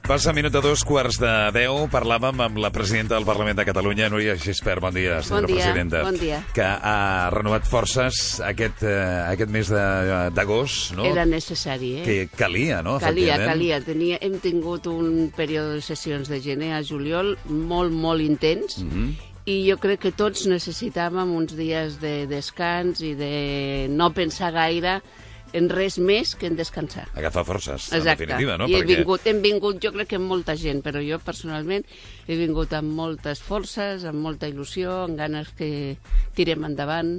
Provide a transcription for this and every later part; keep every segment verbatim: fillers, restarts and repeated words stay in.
Passa minut a dos quarts de deu. Parlàvem amb la presidenta del Parlament de Catalunya, Núria Gispert. Bon dia, senyora bon dia, presidenta. Bon dia. Que ha renovat forces aquest, eh, aquest mes d'agost, no? Era necessari, eh? Que calia, no? Calia, calia. Tenia, hem tingut un període de sessions de gener a juliol molt, molt intens, mm-hmm. i jo crec que tots necessitàvem uns dies de descans i de no pensar gaire en res més que en descansar. Agafar forces, en Exacte. definitiva, no? I he Perquè... vingut, hem vingut, jo crec que amb molta gent, però jo personalment he vingut amb moltes forces, amb molta il·lusió, amb ganes que tirem endavant.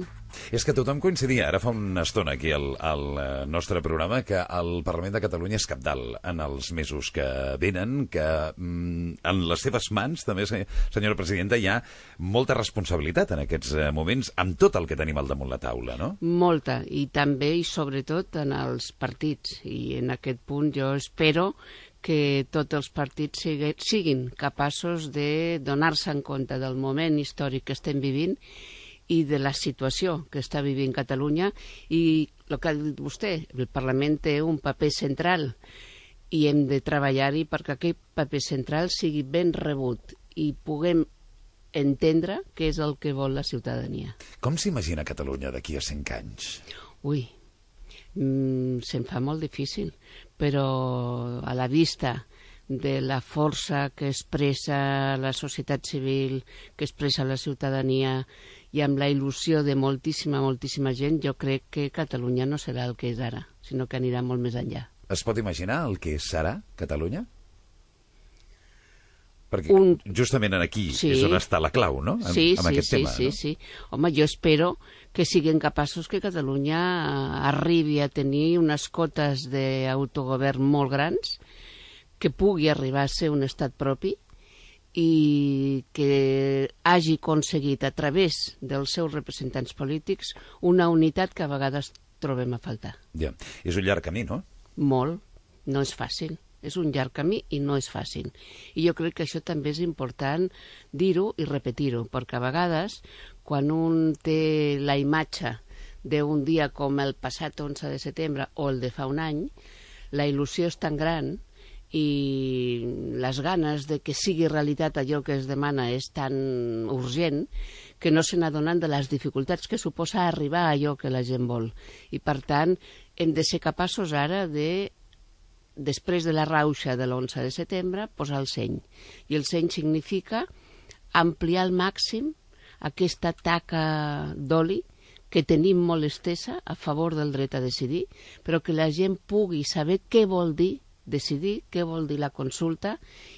És que tothom coincidia, ara fa una estona aquí al, al nostre programa, que el Parlament de Catalunya és cabdal en els mesos que venen, que mm, en les seves mans, també, senyora presidenta, hi ha molta responsabilitat en aquests moments, amb tot el que tenim al damunt la taula, no? Molta, i també i sobretot en els partits, i en aquest punt jo espero que tots els partits sigui, siguin capaços de donar-se en compte del moment històric que estem vivint i de la situació que està vivint Catalunya, i el que ha dit vostè, el Parlament té un paper central i hem de treballar-hi perquè aquest paper central sigui ben rebut i puguem entendre què és el que vol la ciutadania. Com s'imagina Catalunya d'aquí a cinc anys? Ui, mm, se'm fa molt difícil, però a la vista de la força que expressa la societat civil, que expressa la ciutadania, i amb la il·lusió de moltíssima, moltíssima gent, jo crec que Catalunya no serà el que és ara, sinó que anirà molt més enllà. Es pot imaginar el que serà Catalunya? Perquè Un... justament aquí sí. és on està la clau, no? En, sí, amb sí, aquest sí, tema, sí, no? sí. Home, jo espero que siguin capaços que Catalunya arribi a tenir unes cotes d'autogovern molt grans, que pugui arribar a ser un estat propi, i que hagi aconseguit a través dels seus representants polítics una unitat que a vegades trobem a faltar. Ja. És un llarg camí, no? Molt. No és fàcil. És un llarg camí i no és fàcil. I jo crec que això també és important dir-ho i repetir-ho, perquè a vegades, quan un té la imatge d'un dia com el passat onze de setembre o el de fa un any, la il·lusió és tan gran i les ganes de que sigui realitat allò que es demana és tan urgent que no se n'adonen de les dificultats que suposa arribar a allò que la gent vol. I, per tant, hem de ser capaços ara de, després de la rauxa de l'onze de setembre, posar el seny. I el seny significa ampliar al màxim aquesta taca d'oli que tenim molt estesa a favor del dret a decidir, però que la gent pugui saber què vol dir decidir, què vol dir la consulta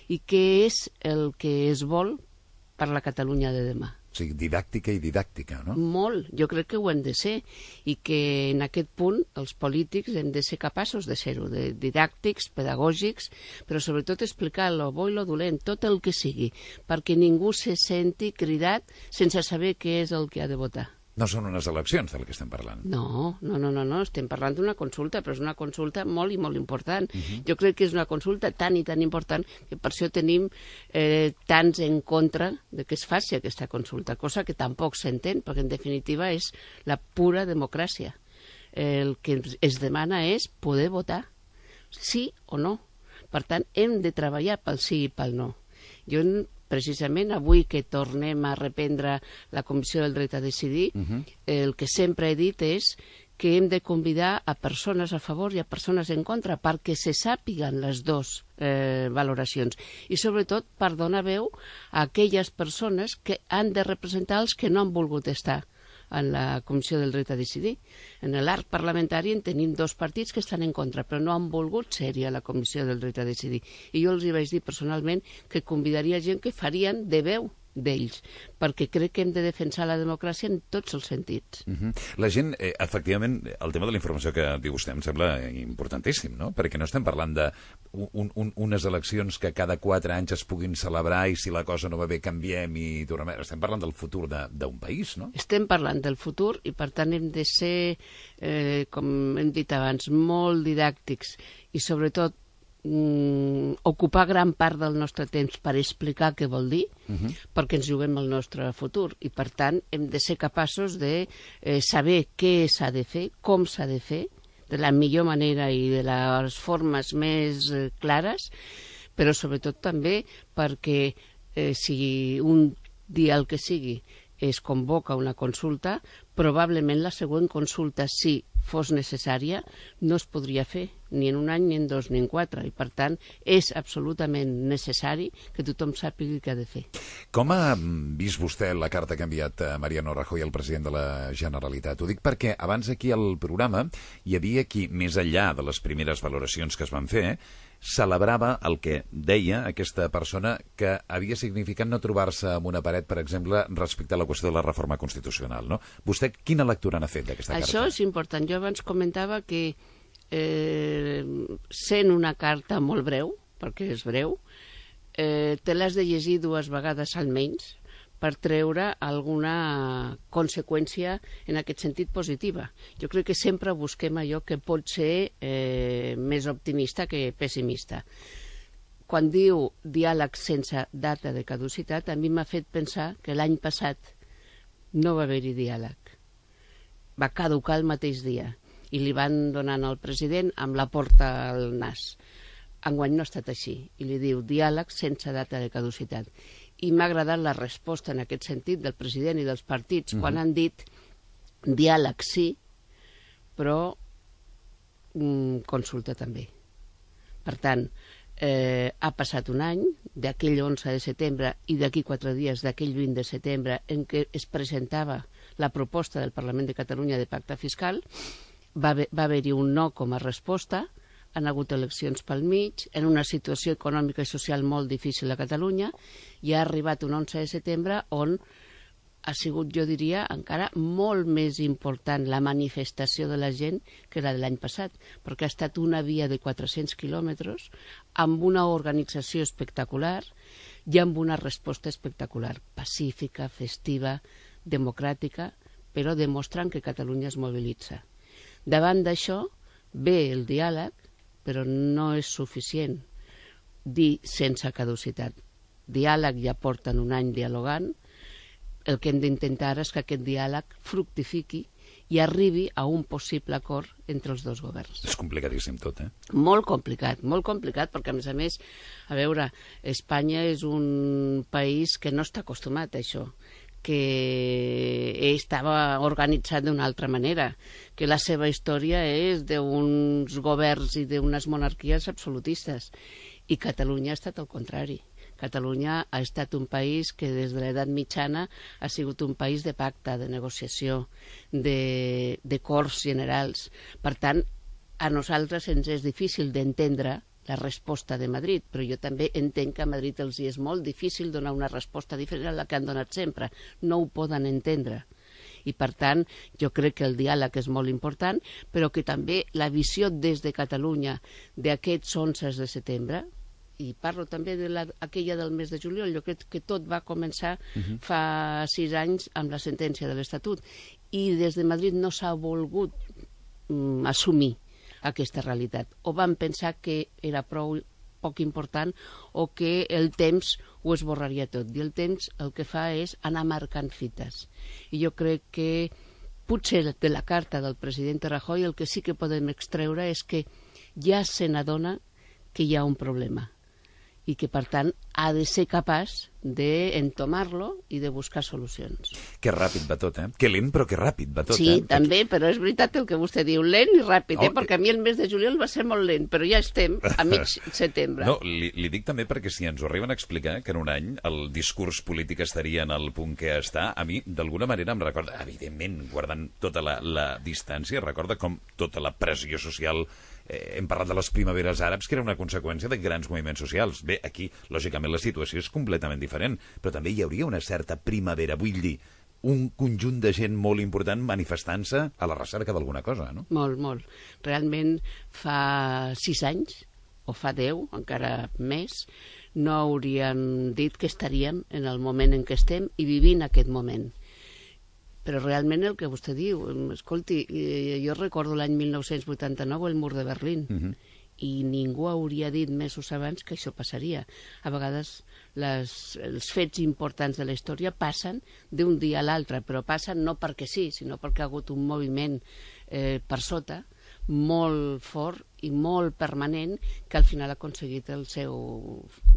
i què és el que es vol per la Catalunya de demà. O sigui, didàctica i didàctica, no? Molt, jo crec que ho hem de ser, i que en aquest punt els polítics hem de ser capaços de ser-ho, de didàctics, pedagògics, però sobretot explicar lo bo i lo dolent, tot el que sigui, perquè ningú se senti cridat sense saber què és el que ha de votar. No són unes eleccions del que estem parlant. No, no, no, no, no. Estem parlant d'una consulta, però és una consulta molt i molt important. Uh-huh. Jo crec que és una consulta tan i tan important que per això tenim eh, tants en contra de que es faci aquesta consulta, cosa que tampoc s'entén, perquè en definitiva és la pura democràcia. El que es demana és poder votar, sí o no. Per tant, hem de treballar pel sí i pel no. Jo precisament avui que tornem a reprendre la Comissió del Dret a Decidir, uh-huh. el que sempre he dit és que hem de convidar a persones a favor i a persones en contra perquè se sàpiguen les dues eh, valoracions i sobretot per donar veu a aquelles persones que han de representar els que no han volgut estar en la Comissió del Dret a Decidir. En l'arc parlamentari en tenim dos partits que estan en contra, però no han volgut ser-hi a la Comissió del Dret a Decidir. I jo els hi vaig dir personalment que convidaria gent que farien de veu d'ells, perquè crec que hem de defensar la democràcia en tots els sentits. Uh-huh. La gent, eh, efectivament, el tema de la informació que diu vostè em sembla importantíssim, no? Perquè no estem parlant de un, un, unes eleccions que cada quatre anys es puguin celebrar i si la cosa no va bé canviem i tornem... Estem parlant del futur d'un país, no? Estem parlant del futur i per tant hem de ser, eh, com hem dit abans, molt didàctics i sobretot Mm, ocupar gran part del nostre temps per explicar què vol dir, uh-huh. perquè ens juguem el nostre futur i per tant hem de ser capaços de eh, saber què s'ha de fer, com s'ha de fer, de la millor manera i de les formes més eh, clares, però sobretot també perquè eh, si un dia el que sigui es convoca una consulta, probablement la següent consulta, si fos necessària, no es podria fer ni en un any, ni en dos, ni en quatre. I, per tant, és absolutament necessari que tothom sàpiga què ha de fer. Com ha vist vostè la carta que ha enviat Mariano Rajoy, el president de la Generalitat? Ho dic perquè abans aquí al programa hi havia qui, més enllà de les primeres valoracions que es van fer, celebrava el que deia aquesta persona que havia significat no trobar-se amb una paret, per exemple, respecte a la qüestió de la reforma constitucional, no? Vostè quina lectura n'ha fet d'aquesta carta? Això és important. Jo abans comentava que eh, sent una carta molt breu, perquè és breu, eh, te l'has de llegir dues vegades almenys per treure alguna conseqüència en aquest sentit positiva. Jo crec que sempre busquem allò que pot ser eh, més optimista que pessimista. Quan diu diàleg sense data de caducitat, a mi m'ha fet pensar que l'any passat no va haver-hi diàleg. Va caducar el mateix dia i li van donant al president amb la porta al nas. Enguany no ha estat així i li diu diàleg sense data de caducitat. I m'ha agradat la resposta en aquest sentit del president i dels partits quan han dit diàleg sí, però mm, consulta també. Per tant, eh, ha passat un any, d'aquell onze de setembre i d'aquí quatre dies, d'aquell vint de setembre, en què es presentava la proposta del Parlament de Catalunya de pacte fiscal, va haver- va haver-hi un no com a resposta, han hagut eleccions pel mig, en una situació econòmica i social molt difícil a Catalunya, i ha arribat un onze de setembre on ha sigut, jo diria, encara molt més important la manifestació de la gent que la de l'any passat, perquè ha estat una via de quatre-cents quilòmetres amb una organització espectacular i amb una resposta espectacular, pacífica, festiva, democràtica, però demostrant que Catalunya es mobilitza. Davant d'això, ve el diàleg, però no és suficient dir sense caducitat. Diàleg ja porten un any dialogant, el que hem d'intentar és que aquest diàleg fructifiqui i arribi a un possible acord entre els dos governs. És complicadíssim tot, eh? Molt complicat, molt complicat, perquè a més a més, a veure, Espanya és un país que no està acostumat a això, que estava organitzat d'una altra manera, que la seva història és d'uns governs i d'unes monarquies absolutistes. I Catalunya ha estat el contrari. Catalunya ha estat un país que des de l'edat mitjana ha sigut un país de pacte, de negociació, de, de corts generals. Per tant, a nosaltres ens és difícil d'entendre la resposta de Madrid, però jo també entenc que a Madrid els hi és molt difícil donar una resposta diferent a la que han donat sempre. No ho poden entendre. I, per tant, jo crec que el diàleg és molt important, però que també la visió des de Catalunya d'aquests onze de setembre, i parlo també de la, aquella del mes de juliol, jo crec que tot va començar uh-huh. fa sis anys amb la sentència de l'Estatut, i des de Madrid no s'ha volgut mm, assumir aquesta realitat. O van pensar que era prou poc important o que el temps ho esborraria tot. I el temps el que fa és anar marcant fites. I jo crec que potser de la carta del president Rajoy el que sí que podem extreure és que ja se n'adona que hi ha un problema i que, per tant, ha de ser capaç d'entomar-lo i de buscar solucions. Que ràpid va tot, eh? Que lent, però que ràpid va tot, sí, eh? Sí, també, però és veritat el que vostè diu, lent i ràpid, oh, eh? Perquè a mi el mes de juliol va ser molt lent, però ja estem a mig setembre. No, li, li dic també perquè si ens ho arriben a explicar que en un any el discurs polític estaria en el punt que està, a mi, d'alguna manera, em recorda, evidentment, guardant tota la, la distància, recorda com tota la pressió social. Eh, hem parlat de les primaveres àrabs, que era una conseqüència de grans moviments socials. Bé, aquí, lògicament, la situació és completament diferent, però també hi hauria una certa primavera, vull dir, un conjunt de gent molt important manifestant-se a la recerca d'alguna cosa, no? Molt, molt. Realment, fa sis anys, o fa deu, encara més, no hauríem dit que estaríem en el moment en què estem i vivint aquest moment. Però realment el que vostè diu, escolti, jo recordo l'any mil nou-cents vuitanta-nou el mur de Berlín, uh-huh. i ningú hauria dit mesos abans que això passaria. A vegades les, els fets importants de la història passen d'un dia a l'altre, però passen no perquè sí, sinó perquè ha hagut un moviment eh, per sota molt fort i molt permanent que al final ha aconseguit el seu,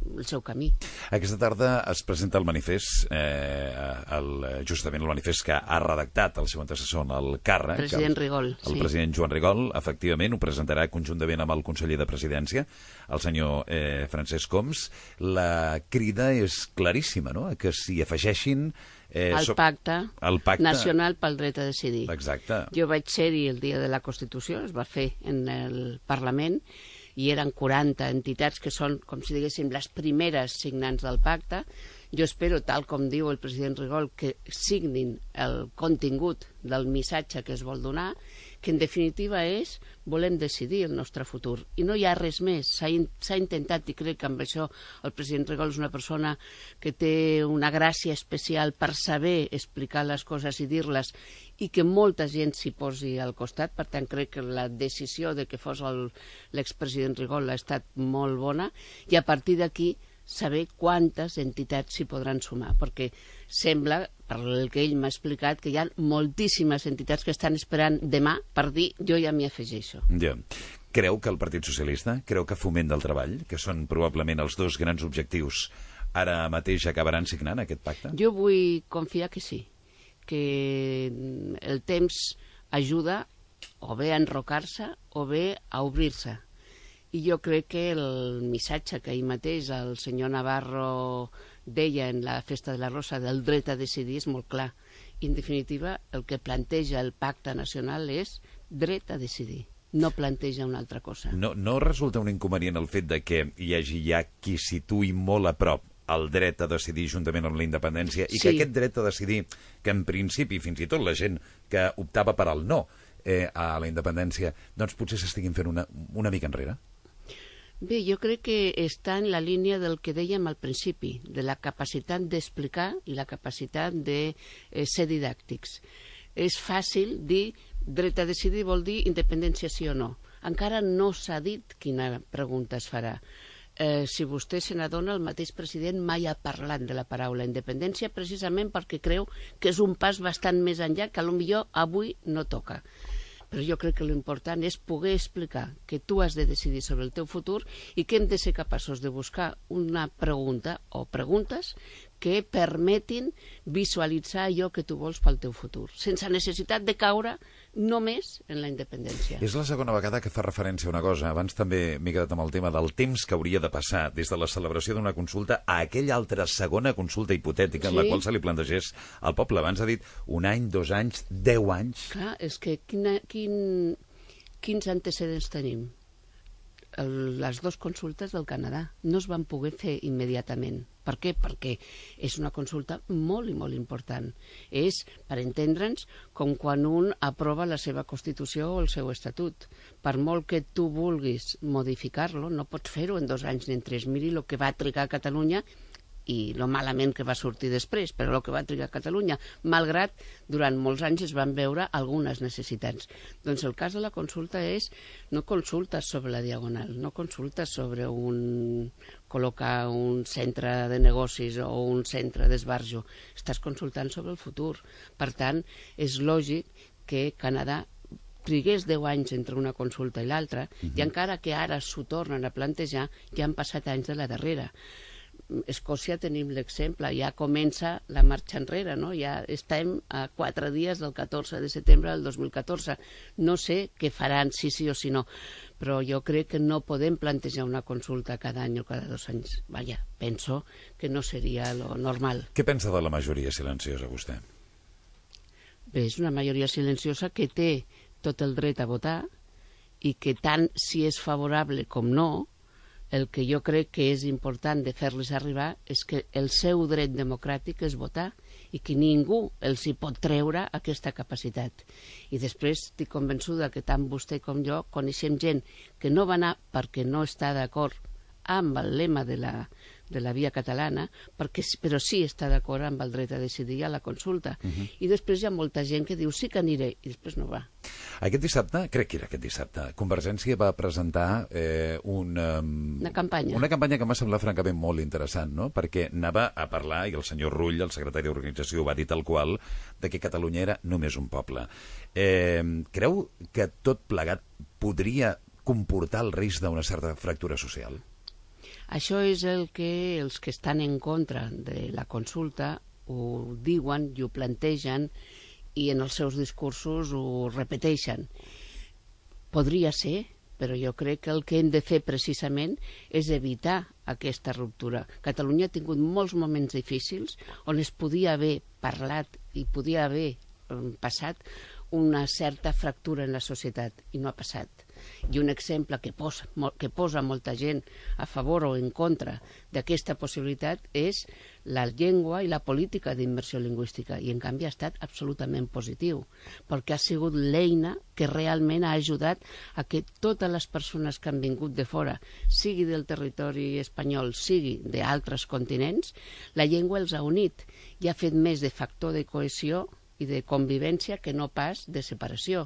el seu camí. Aquesta tarda es presenta el manifest, eh, el, justament el manifest que ha redactat el seu antecessor en el càrrec. President Rigol, el, el sí. president Joan Rigol, efectivament, ho presentarà conjuntament amb el conseller de Presidència, el senyor eh, Francesc Homs. La crida és claríssima, no?, que s'hi afegeixin Eh, el, pacte el pacte nacional pel dret a decidir. Exacte. Jo vaig ser-hi el dia de la Constitució, es va fer en el Parlament, i eren quaranta entitats que són, com si diguéssim, les primeres signants del pacte. Jo espero, tal com diu el president Rigol, que signin el contingut del missatge que es vol donar, que en definitiva és volem decidir el nostre futur. I no hi ha res més. S'ha in, intentat, i crec que amb això el president Rigol és una persona que té una gràcia especial per saber explicar les coses i dir-les, i que molta gent s'hi posi al costat. Per tant, crec que la decisió de que fos l'expresident Rigol ha estat molt bona, i a partir d'aquí saber quantes entitats s'hi podran sumar, perquè sembla, per el que ell m'ha explicat, que hi ha moltíssimes entitats que estan esperant demà per dir jo ja m'hi afegeixo. Ja. Creu que el Partit Socialista, creu que Foment del Treball, que són probablement els dos grans objectius, ara mateix acabaran signant aquest pacte? Jo vull confiar que sí, que el temps ajuda o bé a enrocar-se o bé a obrir-se. I jo crec que el missatge que ahir mateix el senyor Navarro deia en la Festa de la Rosa del dret a decidir és molt clar. I, en definitiva, el que planteja el pacte nacional és dret a decidir. No planteja una altra cosa. No, no resulta un inconvenient el fet de que hi hagi ja qui situï molt a prop el dret a decidir juntament amb la independència, i sí. que aquest dret a decidir, que en principi fins i tot la gent que optava per al no eh, a la independència, doncs potser s'estiguin fent una, una mica enrere? Bé, jo crec que està en la línia del que dèiem al principi, de la capacitat d'explicar i la capacitat de eh, ser didàctics. És fàcil dir dret a decidir vol dir independència sí o no. Encara no s'ha dit quina pregunta es farà. Eh, si vostè se n'adona, el mateix president mai ha parlat de la paraula independència, precisament perquè creu que és un pas bastant més enllà que potser avui no toca. Però jo crec que l'important és poder explicar que tu has de decidir sobre el teu futur i que hem de ser capaços de buscar una pregunta o preguntes que permetin visualitzar allò que tu vols pel teu futur, sense necessitat de caure només en la independència. És la segona vegada que fa referència a una cosa. Abans també m'he quedat amb el tema del temps que hauria de passar des de la celebració d'una consulta a aquella altra segona consulta hipotètica, sí, en la qual se li plantegés al poble. Abans ha dit un any, dos anys, deu anys. Clar, és que quina, quin, quins antecedents tenim? El, les dues consultes del Canadà no es van poder fer immediatament. Per què? Perquè és una consulta molt i molt important. És, per entendre'ns, com quan un aprova la seva Constitució o el seu Estatut. Per molt que tu vulguis modificar-lo, no pots fer-ho en dos anys ni en tres. Miri el que va trigar a Catalunya i lo malament que va sortir després, però el que va trigar a Catalunya, malgrat durant molts anys es van veure algunes necessitats. Doncs el cas de la consulta és, no consultes sobre la Diagonal, no consultes sobre un col·locar un centre de negocis o un centre d'esbarjo, estàs consultant sobre el futur. Per tant, és lògic que Canadà trigués deu anys entre una consulta i l'altra, uh-huh. i encara que ara s'ho tornen a plantejar, ja han passat anys de la darrera. Escòcia tenim l'exemple, ja comença la marxa enrere, no? Ja estem a quatre dies del catorze de setembre del dos mil catorze. No sé què faran, si sí o si no, però jo crec que no podem plantejar una consulta cada any o cada dos anys. Vaja, penso que no seria lo normal. Què pensa de la majoria silenciosa, vostè? Bé, és una majoria silenciosa que té tot el dret a votar i que tant si és favorable com no, el que jo crec que és important de fer-les arribar és que el seu dret democràtic és votar i que ningú els hi pot treure aquesta capacitat. I després estic convençuda que tant vostè com jo coneixem gent que no va anar perquè no està d'acord amb el lema de la, de la via catalana, perquè, però sí està d'acord amb el dret a decidir a la consulta. Uh -huh. I després hi ha molta gent que diu sí que aniré, i després no va. Aquest dissabte, crec que era aquest dissabte, Convergència va presentar eh, una, una campanya. Una campanya que m'ha semblat francament molt interessant, no? Perquè anava a parlar, i el senyor Rull, el secretari d'organització, va dir tal qual, de que Catalunya era només un poble. Eh, creu que tot plegat podria comportar el risc d'una certa fractura social? Això és el que els que estan en contra de la consulta ho diuen i ho plantegen i en els seus discursos ho repeteixen. Podria ser, però jo crec que el que hem de fer precisament és evitar aquesta ruptura. Catalunya ha tingut molts moments difícils on es podia haver parlat i podia haver passat una certa fractura en la societat, i no ha passat. I un exemple que posa, que posa molta gent a favor o en contra d'aquesta possibilitat és la llengua i la política d'immersió lingüística, i en canvi ha estat absolutament positiu, perquè ha sigut l'eina que realment ha ajudat a que totes les persones que han vingut de fora, sigui del territori espanyol, sigui d'altres continents, la llengua els ha unit i ha fet més de factor de cohesió i de convivència que no pas de separació.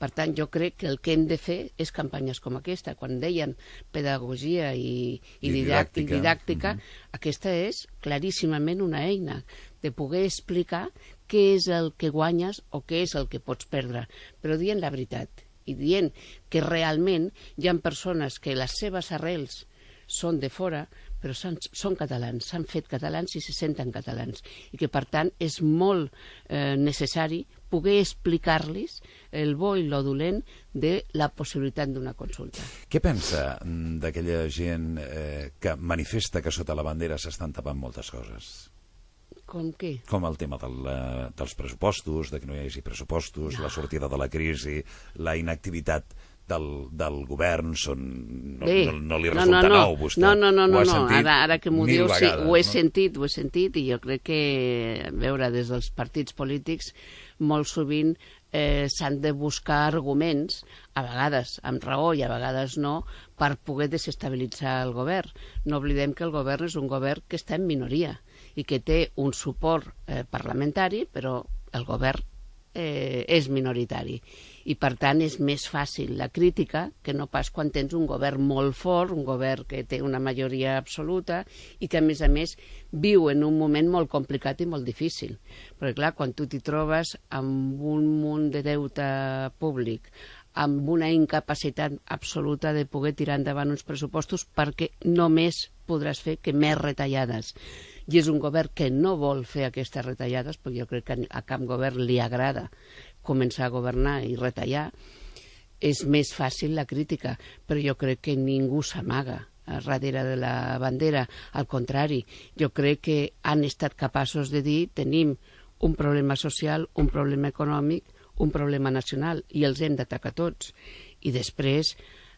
Per tant, jo crec que el que hem de fer és campanyes com aquesta. Quan deien pedagogia i, i, I didàctica, i didàctica uh -huh. aquesta és claríssimament una eina de poder explicar què és el que guanyes o què és el que pots perdre, però dient la veritat i dient que realment hi ha persones que les seves arrels són de fora, però són, són catalans, s'han fet catalans i se senten catalans, i que per tant és molt eh, necessari poder explicar-los el bo i lo dolent de la possibilitat d'una consulta. Què pensa d'aquella gent eh, que manifesta que sota la bandera s'estan tapant moltes coses? Com què? Com el tema del, uh, dels pressupostos, de que no hi hagi pressupostos, no. La sortida de la crisi, la inactivitat del, del govern, són, no, no, no li resulta no, no, no. nou, vostè. No, no, no, no, no. Ara, ara que m'ho diu, vegades, sí, ho he no? sentit, ho he sentit, i jo crec que, a veure, des dels partits polítics, molt sovint eh, s'han de buscar arguments, a vegades amb raó i a vegades no, per poder desestabilitzar el govern. No oblidem que el govern és un govern que està en minoria i que té un suport eh, parlamentari, però el govern eh, és minoritari. I per tant és més fàcil la crítica que no pas quan tens un govern molt fort, un govern que té una majoria absoluta i que a més a més viu en un moment molt complicat i molt difícil. Perquè clar, quan tu t'hi trobes amb un munt de deute públic, amb una incapacitat absoluta de poder tirar endavant uns pressupostos perquè només podràs fer que més retallades. I és un govern que no vol fer aquestes retallades, perquè jo crec que a cap govern li agrada començar a governar i retallar. És més fàcil la crítica, però jo crec que ningú s'amaga darrere de la bandera. Al contrari, jo crec que han estat capaços de dir tenim un problema social, un problema econòmic, un problema nacional, i els hem d'atacar tots. I després,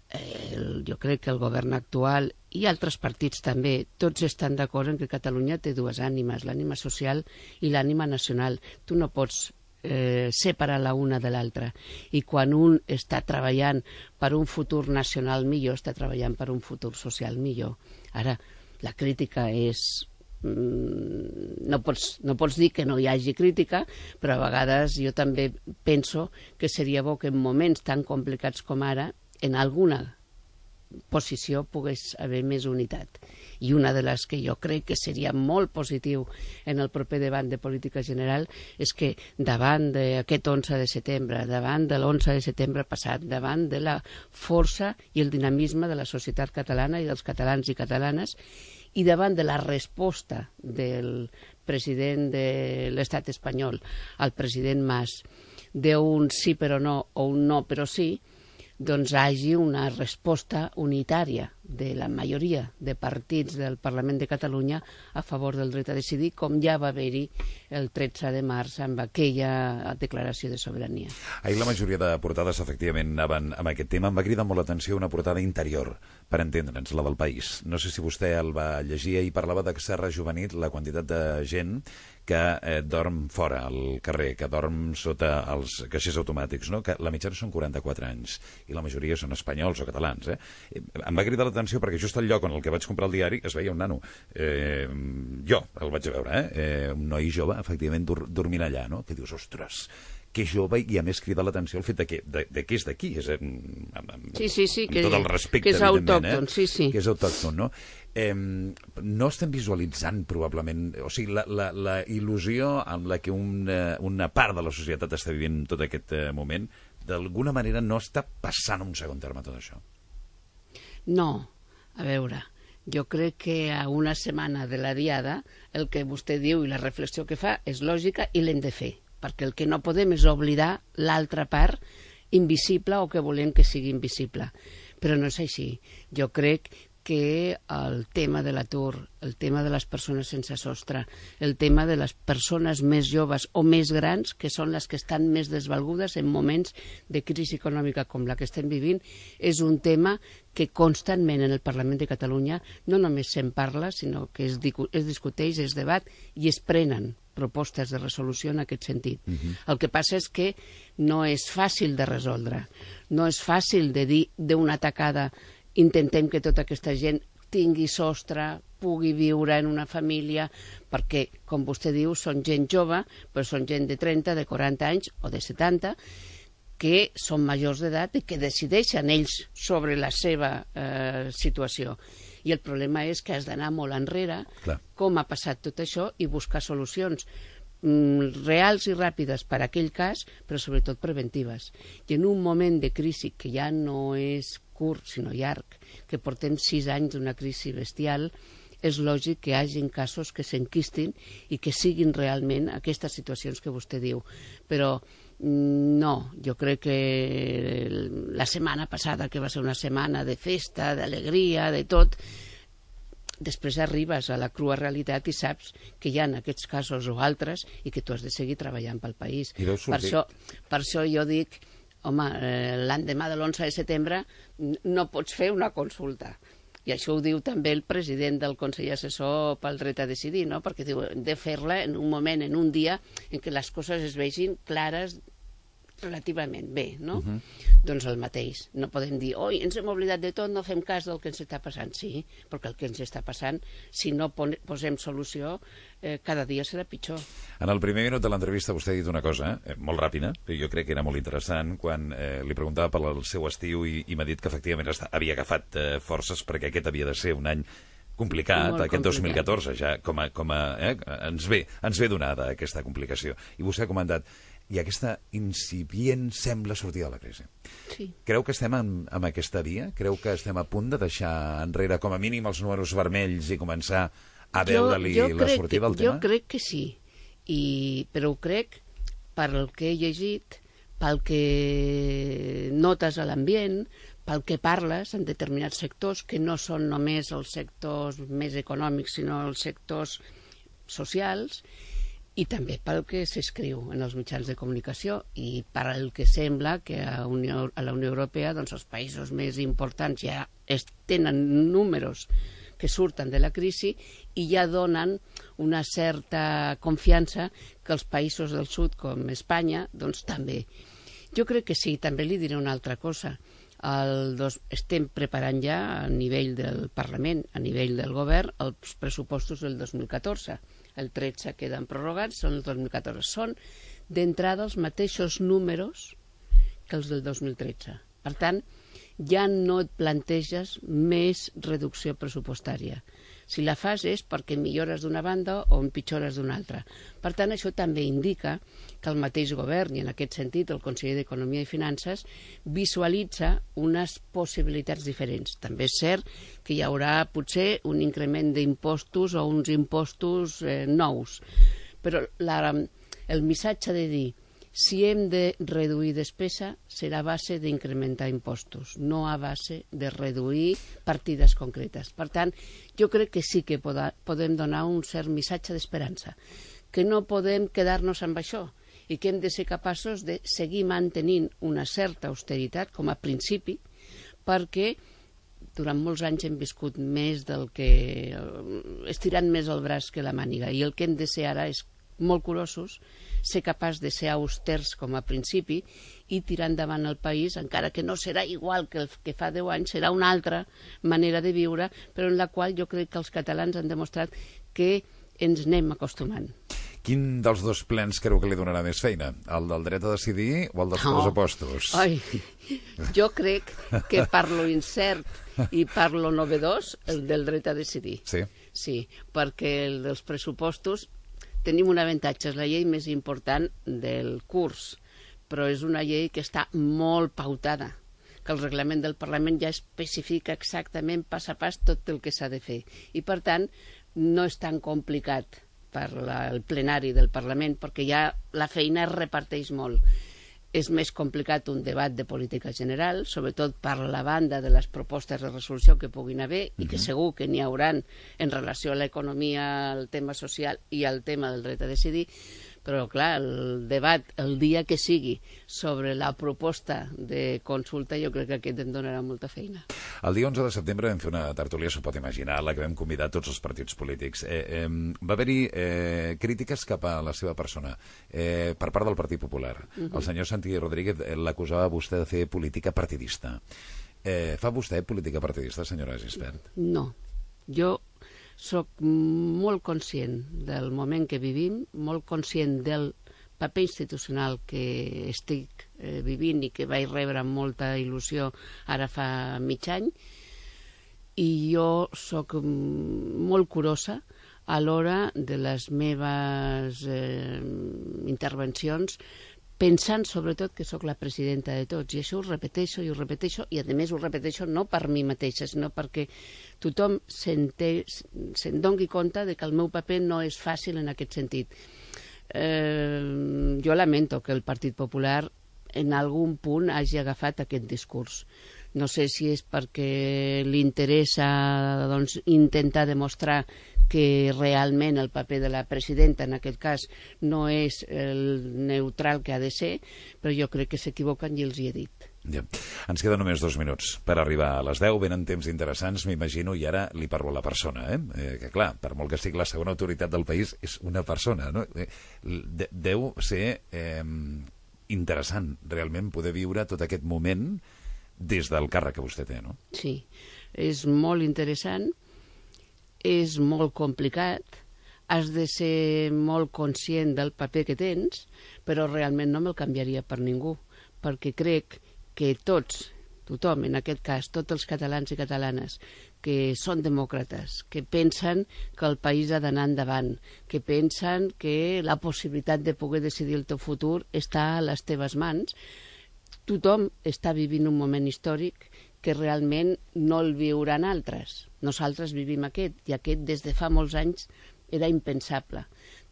eh, jo crec que el govern actual i altres partits també, tots estan d'acord en que Catalunya té dues ànimes, l'ànima social i l'ànima nacional. Tu no pots eh, separar la una de l'altra. I quan un està treballant per un futur nacional millor, està treballant per un futur social millor. Ara, la crítica és... No pots, no pots dir que no hi hagi crítica, però a vegades jo també penso que seria bo que en moments tan complicats com ara, en alguna posició pogués haver més unitat. I una de les que jo crec que seria molt positiu en el proper debat de política general és que davant d'aquest onze de setembre, davant de l'onze de setembre passat, davant de la força i el dinamisme de la societat catalana i dels catalans i catalanes, i davant de la resposta del president de l'estat espanyol, al president Mas, d'un sí però no o un no però sí, doncs hagi una resposta unitària de la majoria de partits del Parlament de Catalunya a favor del dret a decidir, com ja va haver-hi el tretze de març amb aquella declaració de sobirania. Ahir la majoria de portades efectivament anaven amb aquest tema. Em va cridar molt l'atenció una portada interior, per entendre'ns, la del País. No sé si vostè el va llegir i parlava de que s'ha rejuvenit la quantitat de gent que eh, dorm fora, al carrer, que dorm sota els caixers automàtics, no? Que la mitjana són quaranta-quatre anys, i la majoria són espanyols o catalans. Eh? Em va cridar l'atenció perquè just al lloc on el que vaig comprar el diari es veia un nano. Eh, jo el vaig veure, eh? eh? Un noi jove, efectivament, dur dormint allà, no? Que dius, ostres, que jove, i a més crida l'atenció el fet de que, de, de que és d'aquí, és amb, amb, sí, sí, sí, amb que, tot el respecte, que és autòcton, eh? sí, sí. Que és autòcton, no? Eh, no estem visualitzant, probablement, o sigui, la, la, la il·lusió amb la que una, una part de la societat està vivint tot aquest eh, moment, d'alguna manera no està passant a un segon terme tot això. No, a veure, jo crec que a una setmana de la diada el que vostè diu i la reflexió que fa és lògica i l'hem de fer, perquè el que no podem és oblidar l'altra part invisible o que volem que sigui invisible. Però no és així. Jo crec que el tema de l'atur, el tema de les persones sense sostre, el tema de les persones més joves o més grans, que són les que estan més desvalgudes en moments de crisi econòmica com la que estem vivint, és un tema que constantment en el Parlament de Catalunya no només se'n parla, sinó que es, es discuteix, es debat i es prenen propostes de resolució en aquest sentit. Uh-huh. El que passa és que no és fàcil de resoldre, no és fàcil de dir d'una tacada intentem que tota aquesta gent tingui sostre, pugui viure en una família, perquè, com vostè diu, són gent jove, però són gent de trenta, de quaranta anys o de setanta, que són majors d'edat i que decideixen ells sobre la seva eh, situació. I el problema és que has d'anar molt enrere, Clar. com ha passat tot això, i buscar solucions mm, reals i ràpides per a aquell cas, però sobretot preventives. I en un moment de crisi que ja no és curt, sinó llarg, que portem sis anys d'una crisi bestial, és lògic que hi hagin casos que s'enquistin i que siguin realment aquestes situacions que vostè diu. Però no, jo crec que la setmana passada, que va ser una setmana de festa, d'alegria, de tot, després arribes a la crua realitat i saps que hi ha aquests casos o altres i que tu has de seguir treballant pel país. Per això, per això jo dic, home, eh, l'endemà de l'onze de setembre no pots fer una consulta. I això ho diu també el president del Consell Assessor pel Dret a Decidir, no? Perquè diu, hem de fer-la en un moment, en un dia, en què les coses es vegin clares relativament bé, no? Uh-huh. Doncs el mateix. No podem dir, oi, ens hem oblidat de tot, no fem cas del que ens està passant. Sí, perquè el que ens està passant, si no posem solució, eh, cada dia serà pitjor. En el primer minut de l'entrevista vostè ha dit una cosa, eh, molt ràpida, però jo crec que era molt interessant, quan eh, li preguntava pel seu estiu i, i m'ha dit que efectivament està, havia agafat eh, forces perquè aquest havia de ser un any complicat, molt aquest complicat. dos mil catorze, ja com a, com a, eh, ens, ve, ens ve donada aquesta complicació. I vostè ha comentat, i aquesta incipient sembla sortir de la crisi. Sí. Creu que estem en, en aquesta via? Creu que estem a punt de deixar enrere com a mínim els números vermells i començar a veure-li la sortida al tema? Jo crec que sí, I, però ho crec pel que he llegit, pel que notes a l'ambient, pel que parles en determinats sectors, que no són només els sectors més econòmics, sinó els sectors socials, i també pel que s'escriu en els mitjans de comunicació i per el que sembla que a, Unió, a la Unió Europea doncs, els països més importants ja es, tenen números que surten de la crisi i ja donen una certa confiança que els països del sud, com Espanya, doncs també. Jo crec que sí, també li diré una altra cosa. El dos, estem preparant ja a nivell del Parlament, a nivell del govern, els pressupostos del dos mil catorze. El tretze queden prorrogats, són el dos mil catorze. Són, d'entrada, els mateixos números que els del dos mil tretze. Per tant, ja no et planteges més reducció pressupostària. Si la fas és perquè millores d'una banda o empitjores d'una altra. Per tant, això també indica que el mateix govern, i en aquest sentit el conseller d'Economia i Finances, visualitza unes possibilitats diferents. També és cert que hi haurà potser un increment d'impostos o uns impostos eh, nous. Però la, el missatge de dir si hem de reduir despesa serà a base d'incrementar impostos, no a base de reduir partides concretes. Per tant, jo crec que sí que poda, podem donar un cert missatge d'esperança, que no podem quedar-nos amb això i que hem de ser capaços de seguir mantenint una certa austeritat com a principi, perquè durant molts anys hem viscut més del que... estirant més el braç que la màniga, i el que hem de ser ara és molt curosos, ser capaç de ser austers com a principi i tirar endavant el país, encara que no serà igual que el que fa deu anys, serà una altra manera de viure, però en la qual jo crec que els catalans han demostrat que ens anem acostumant. Quin dels dos plens creu que li donarà més feina? El del dret a decidir o el dels No. pressupostos? Ai, jo crec que per lo incert i per lo novedós, el del dret a decidir. Sí? Sí, perquè el dels pressupostos tenim un avantatge, és la llei més important del curs, però és una llei que està molt pautada, que el reglament del Parlament ja especifica exactament pas a pas tot el que s'ha de fer. I, per tant, no és tan complicat per la, el plenari del Parlament, perquè ja la feina es reparteix molt. És més complicat un debat de política general, sobretot per la banda de les propostes de resolució que puguin haver, uh-huh. i que segur que n'hi hauran en relació a l'economia, al tema social i al tema del dret a decidir, però, clar, el debat, el dia que sigui, sobre la proposta de consulta, jo crec que aquest em donarà molta feina. El dia onze de setembre vam fer una tertúlia, s'ho pot imaginar, la que vam convidar tots els partits polítics. Eh, eh, va haver-hi eh, crítiques cap a la seva persona eh, per part del Partit Popular. Uh-huh. El senyor Santi Rodríguez l'acusava a vostè de fer política partidista. Eh, fa vostè política partidista, senyora Gispert? No. Jo soc molt conscient del moment que vivim, molt conscient del paper institucional que estic eh, vivint i que vaig rebre amb molta il·lusió ara fa mig any, i jo soc molt curosa a l'hora de les meves eh, intervencions, pensant sobretot que sóc la presidenta de tots, i això ho repeteixo i ho repeteixo, i a més ho repeteixo no per mi mateixa, sinó perquè tothom se'n doni compte de que el meu paper no és fàcil en aquest sentit. Eh, jo lamento que el Partit Popular en algun punt hagi agafat aquest discurs. No sé si és perquè li interessa doncs, intentar demostrar que realment el paper de la presidenta, en aquest cas, no és el neutral que ha de ser, però jo crec que s'equivoquen i els hi he dit. Ja. Ens queden només dos minuts per arribar a les deu, venen temps interessants, m'imagino, i ara li parlo a la persona, eh? eh que clar, per molt que sigui la segona autoritat del país, és una persona, no? Eh, de deu ser eh, interessant, realment, poder viure tot aquest moment des del càrrec que vostè té, no? Sí, és molt interessant, és molt complicat, has de ser molt conscient del paper que tens, però realment no me'l canviaria per ningú, perquè crec que tots, tothom, en aquest cas, tots els catalans i catalanes que són demòcrates, que pensen que el país ha d'anar endavant, que pensen que la possibilitat de poder decidir el teu futur està a les teves mans, tothom està vivint un moment històric que realment no el viuran altres. Nosaltres vivim aquest, i aquest des de fa molts anys era impensable.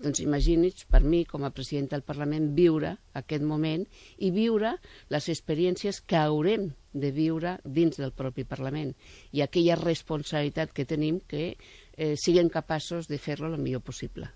Doncs imagini's, per mi, com a presidenta del Parlament, viure aquest moment i viure les experiències que haurem de viure dins del propi Parlament i aquella responsabilitat que tenim que eh, siguem capaços de fer-lo el millor possible.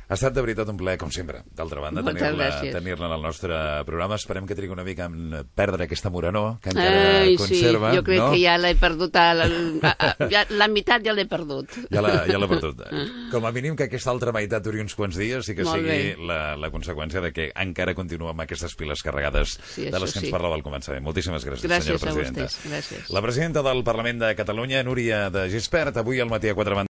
Ha estat de veritat un plaer, com sempre. D'altra banda, tenir-la tenir-la en el nostre programa. Esperem que trigui una mica en perdre aquesta morenor que encara Ai, conserva. Sí, jo crec no? que ja l'he perdut. A la, a, a, ja, la meitat ja l'he perdut. Ja l'ha ja perdut. Com a mínim que aquesta altra meitat duri uns quants dies i que Molt sigui bé. la, la conseqüència de que encara continua amb aquestes piles carregades Sí, de les que sí. ens parlava al començament. Moltíssimes gràcies, Gràcies senyora presidenta. a vostès. Gràcies. La presidenta del Parlament de Catalunya, Núria de Gispert, avui al matí a quatre bandes.